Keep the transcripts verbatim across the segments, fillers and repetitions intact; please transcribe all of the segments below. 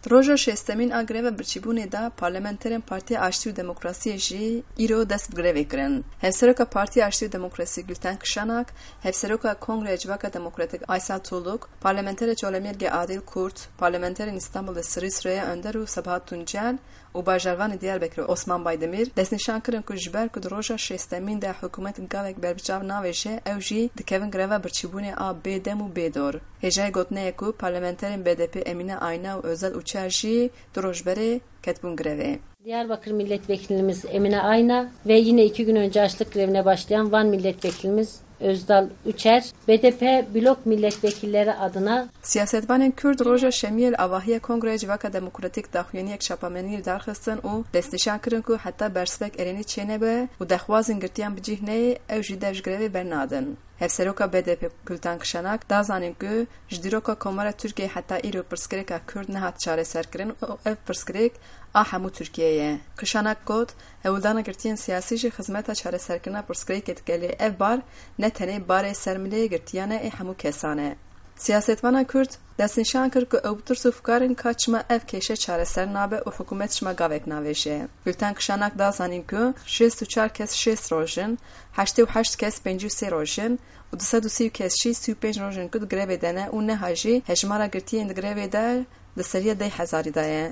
Di roja şêstemîn a greva birçîbûnê de parlamenterên Partiya Aştî û Demokrasiyê jî îro dest bi grevê kirin. Hevseroka Partiya Aştî û Demokrasiyê Gülten Kişanak, Hevseroka Kongreya Civaka Demokratîk Aysel Tuğluk, parlamenterê Colemêrgê Adil Kurt, parlamenterên Îstanbulê Sirî Süreyya Önder û Sabahat Tuncel û bajarvanê Diyarbekirê Osman Baydemîr destnîşan kirin ku ji ber ku di roja şêstemîn de hikûmet gavek berbiçav navêje, ew jî dikevin greva birçîbûnê a bêdem û bêdor. Hêjayê gotinê ye ku parlamenterên B D P Emine Ayna û Özel Uçer jî du roj berê ketibûn grevê. Diyarbakır milletvekilimiz Emine Ayna ve yine iki gün önce açlık grevine başlayan Van milletvekilimiz Özdal Uçer, B D P blok milletvekilleri adına Siyasetvanên Kurd roja şemiyê li avahiya Kongreya Civaka Demokratîk daxuyaniyek çapameniyê li dar xistin û destnîşan kirin ku heta bersivek erênî çênebe û dexwazên girtiyan bi cih neyê, ew jî dev ji grevê bernadin. Hevseroka B D P Gülten Kişanak da zanîn ku ji dîroka Komara Tirkiyeyê heta îro pirsgirêka Kurd nehat çareserkirin û ev pirsgirêk a hemû Tirkiyeyê ye. Kişanak got, hewldana girtiyên siyasî jî xizmeta çareserkirina pirsgirêkê dike, lê ev bar ne tenê barê ser milê girtiyan e, ê hemû kesan e. Siyasetvana Kurd destnîşan kir ku ew bi tirs û fikar in ka çima ev kêşe çareser nabe û hikûmet çima gavek navêje. Gülten Kişanak da zanîn ku şêst û çar kes şêst roj in, heştê û heşt kes pêncî û sê roj in û du sed û sî kes jî sî û pênc roj in ku di grevê de ne û niha jî hejmara girtiyên di grevê de di seriya deh hezarî de ye.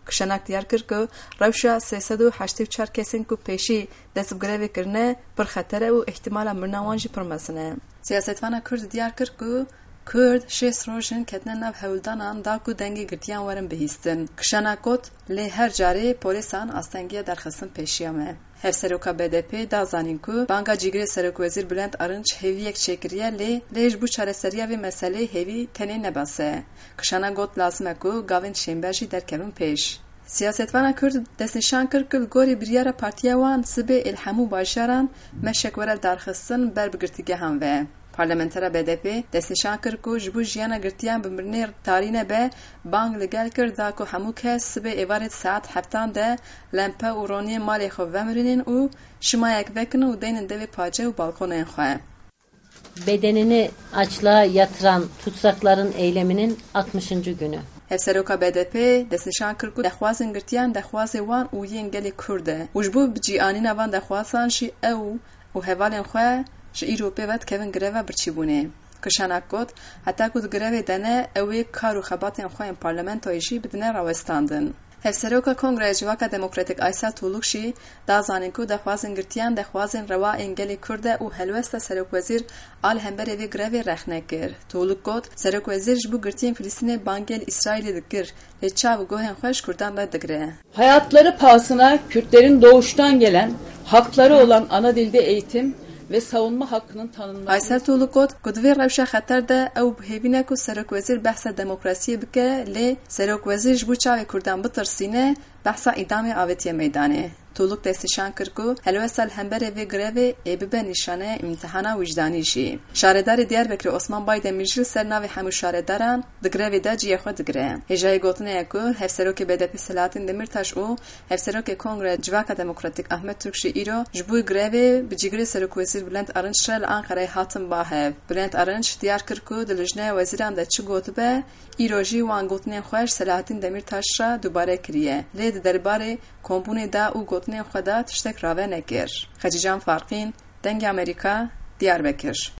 Kişanak diyar kir ku rewşa sê sed û heştê û çar kesên ku pêşî dest bi grevê kirine pir xeter e û îhtimala mirina wan jî pir mezin e. Siyasetvana Kurd diyar kir ku Kurd şêst roj in ketine nav hewldanan da ku dengê girtiyan werin bihîstin. Kişanak got, lê her carê polîsan astengiya derxistin pêşiya me. Hevseroka B D P da zanîn ku banga cîgirê Serokwezîr Bülent Arınç hêviyek çêkiriye, lê lê ji bo çareseriya vê meseleyê hêvî tenê ne bes e. Kişanak got, lazim e ku gavên şênber jî derkevin pêş. Siyasetvana Kurd destnîşan kir ku li gorî biryara partiya wan sibê ê li hemû bajaran meşek were darxistin ber bi girtîgehan ve. Parlamentera B D P destnîşan kir ku ji bo jiyana girtiyan bi mirinê tarî nebe, bang li gel kir da ku hemû kes sibê êvarê di saet heftan de lempe û roniyên malê xwe vemirînin û şimayek vekin û deynin devê pace û balkonên xwe. Bedenini açlığa yatıran tutsakların eyleminin altmışıncı günü. Hevseroka B D P destnîşan kir ku dexwazên girtiyan dexwazê wan û yên gelê Kurd e û ji bo bi cîanîna van dexwazan jî ew û hevalên xwe ji îro pê ve dikevin greva birçîbûnê. Kişanak got, heta ku di grevê de ne, ew ê kar û xebatên xwe yên parlamentoyê jî bidine rawestandin. Hevseroka Kongreya Civaka Demokratîk Aysel Tuğluk jî da zanîn ku dexwazên girtiyan dexwazên rewa ên gelê Kurd e û helwesta Serokwezîr a li hemberê vê grevê rexne kir. Tuğluk got, Serokwezîr ji bo girtiyên Filistînê bangê li Îsraîlê dikir, lê çav û guhên xwe ji Kurdan redigire. Hayatları pahasına Kürtlerin doğuştan gelen hakları olan ana dilde eğitim ve savunma hakkının tanınması Aysel Tuğluk got ku di vê rewşa xeter de ew bi hêvî ne ku Serokwezîr behsa demokrasiyê bike, lê Serokwezîr ji bo çavê Kurdan bitirsîne, behsa îdamê avêtiye meydanê. Tuğluk destnîşan kir ku helwesta li hemberê vê grevê ê bibe nîşaneyê îmtihana wijdanî jî. Şaredarê Diyarbekirê Osman Baydemîr jî li ser navê hemû şaredaran di grevê de cihê xwe digire. Hêjayê gotinê ye ku Hevserokê B D P Selahattin Demirtaş û Hevserokê Kongreya Civaka Demokratîk Ahmet Türk jî îro ji bo grevê bi cîgirê Serokwezîr Bülent Arınç re li Ankarayê hatin ba hev. Bülent Arınç diyar kir ku di Lijneya Wezîran de çi gotibe, îro jî wan gotinên xwe ji Selahattin Demirtaş re dubare kiriye. Lê di derbarê kombûnê de û gotinên xwe de tiştek rave nekir. Xecîcan Farqîn, Dengê Amerîka, Diyarbekir.